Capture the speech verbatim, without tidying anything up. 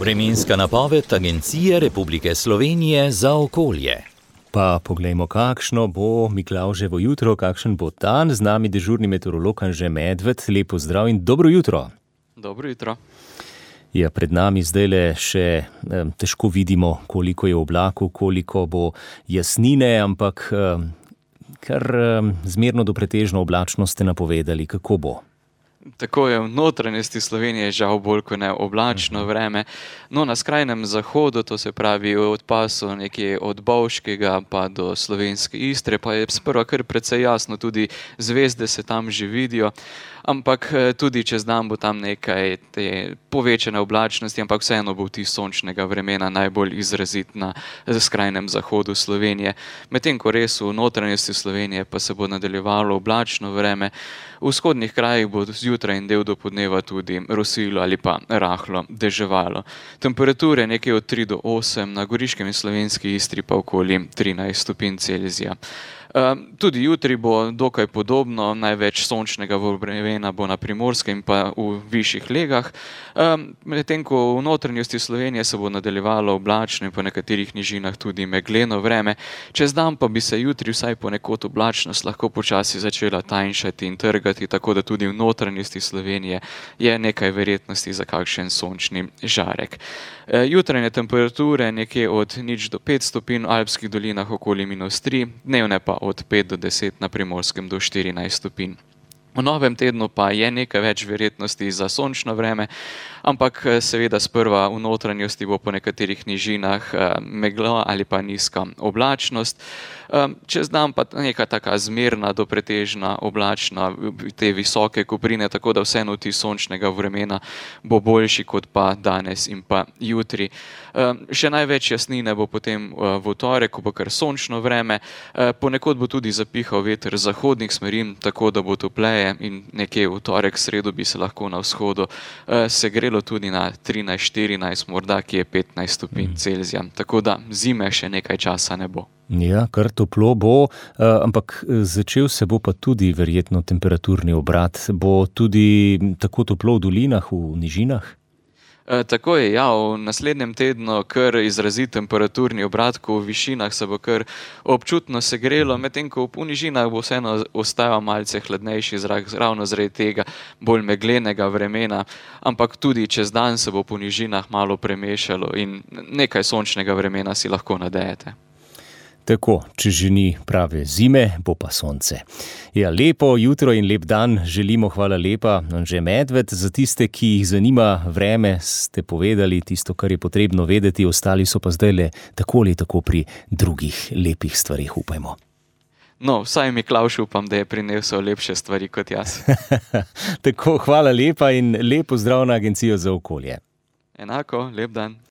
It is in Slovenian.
Vremenska napoved Agencije Republike Slovenije za okolje. Pa poglejmo, kakšno bo Miklavževo jutro, kakšen bo dan. Z nami dežurni meteorolog Anže Medved. Lepo zdrav in dobro jutro. Dobro jutro. Ja, pred nami zdajle še eh, težko vidimo, koliko je oblakov, koliko bo jasnine, ampak eh, kar eh, zmerno do pretežno oblačno ste napovedali. Kako bo? Tako je v notranjosti Slovenije žal bolj kot ne oblačno vreme. No, na skrajnem zahodu, to se pravi od pasu nekje od Bovškega pa do slovenske Istre, pa je sprva kar precej jasno, tudi zvezde se tam že vidijo. Ampak tudi čez dan bo tam nekaj te povečane oblačnosti, ampak vseeno bo vtis sončnega vremena najbolj izrazit na skrajnem zahodu Slovenije. Medtem ko res v notranjosti Slovenije pa se bo nadaljevalo oblačno vreme, v vzhodnih krajih bo zjutraj in del do podneva tudi rosilo ali pa rahlo deževalo. Temperature nekje od tri do osem, na Goriškem in slovenski Istri pa okoli trinajst stopinj Celzija. Um, tudi jutri bo dokaj podobno, največ sončnega vremena bo na Primorskem in pa v višjih legah. Um, medtem ko v notranjosti Slovenije se bo nadaljevalo oblačno in po nekaterih nižinah tudi megleno vreme. Čez dan pa bi se jutri vsaj ponekod oblačnost lahko počasi začela tanjšati in trgati, tako da tudi v notranjosti Slovenije je nekaj verjetnosti za kakšen sončni žarek. E, jutranje temperature nekje od nič do pet stopinj, v alpskih dolinah okoli minus tri, dnevne pa od pet do deset, na Primorskem do štirinajst stopinj. V novem tednu pa je nekaj več verjetnosti za sončno vreme, ampak seveda sprva v notranjosti bo po nekaterih nižinah megla ali pa nizka oblačnost. Čez dan pa neka taka zmerna do pretežna oblačna, te visoke koprine, tako da vseeno vtis sončnega vremena bo boljši kot pa danes in pa jutri. Še največ jasnine bo potem v torek, ko bo kar sončno vreme, ponekod bo tudi zapihal veter zahodnih smeri, tako da bo topleje in nekje v torek, sredo bi se lahko na vzhodu segrelo tudi na trinajst, štirinajst, morda ki je petnajst stopinj Celzija, tako da zime še nekaj časa ne bo. Ja, kar toplo bo, ampak začel se bo pa tudi verjetno temperaturni obrat. Bo tudi tako toplo v dolinah, v nižinah? E, tako je, ja, v naslednjem tednu kar izrazit temperaturni obrat, ko v višinah se bo kar občutno segrelo, medtem ko v nižinah bo vseeno ostajal malce hladnejši zrak, ravno zaradi tega bolj meglenega vremena, ampak tudi čez dan se bo po nižinah malo premešalo in nekaj sončnega vremena si lahko nadejete. Tako, če že ni prave zime, bo pa sonce. Ja, lepo jutro in lep dan želimo, hvala lepa. Anže Medved, za tiste, ki jih zanima vreme, ste povedali tisto, kar je potrebno vedeti, ostali so pa zdajle tako ali tako pri drugih lepih stvarih, upajmo. No, vsaj Miklavž upam, da je prinesel lepše stvari kot jaz. Tako, hvala lepa in lep pozdrav na Agencijo za okolje. Enako, lep dan.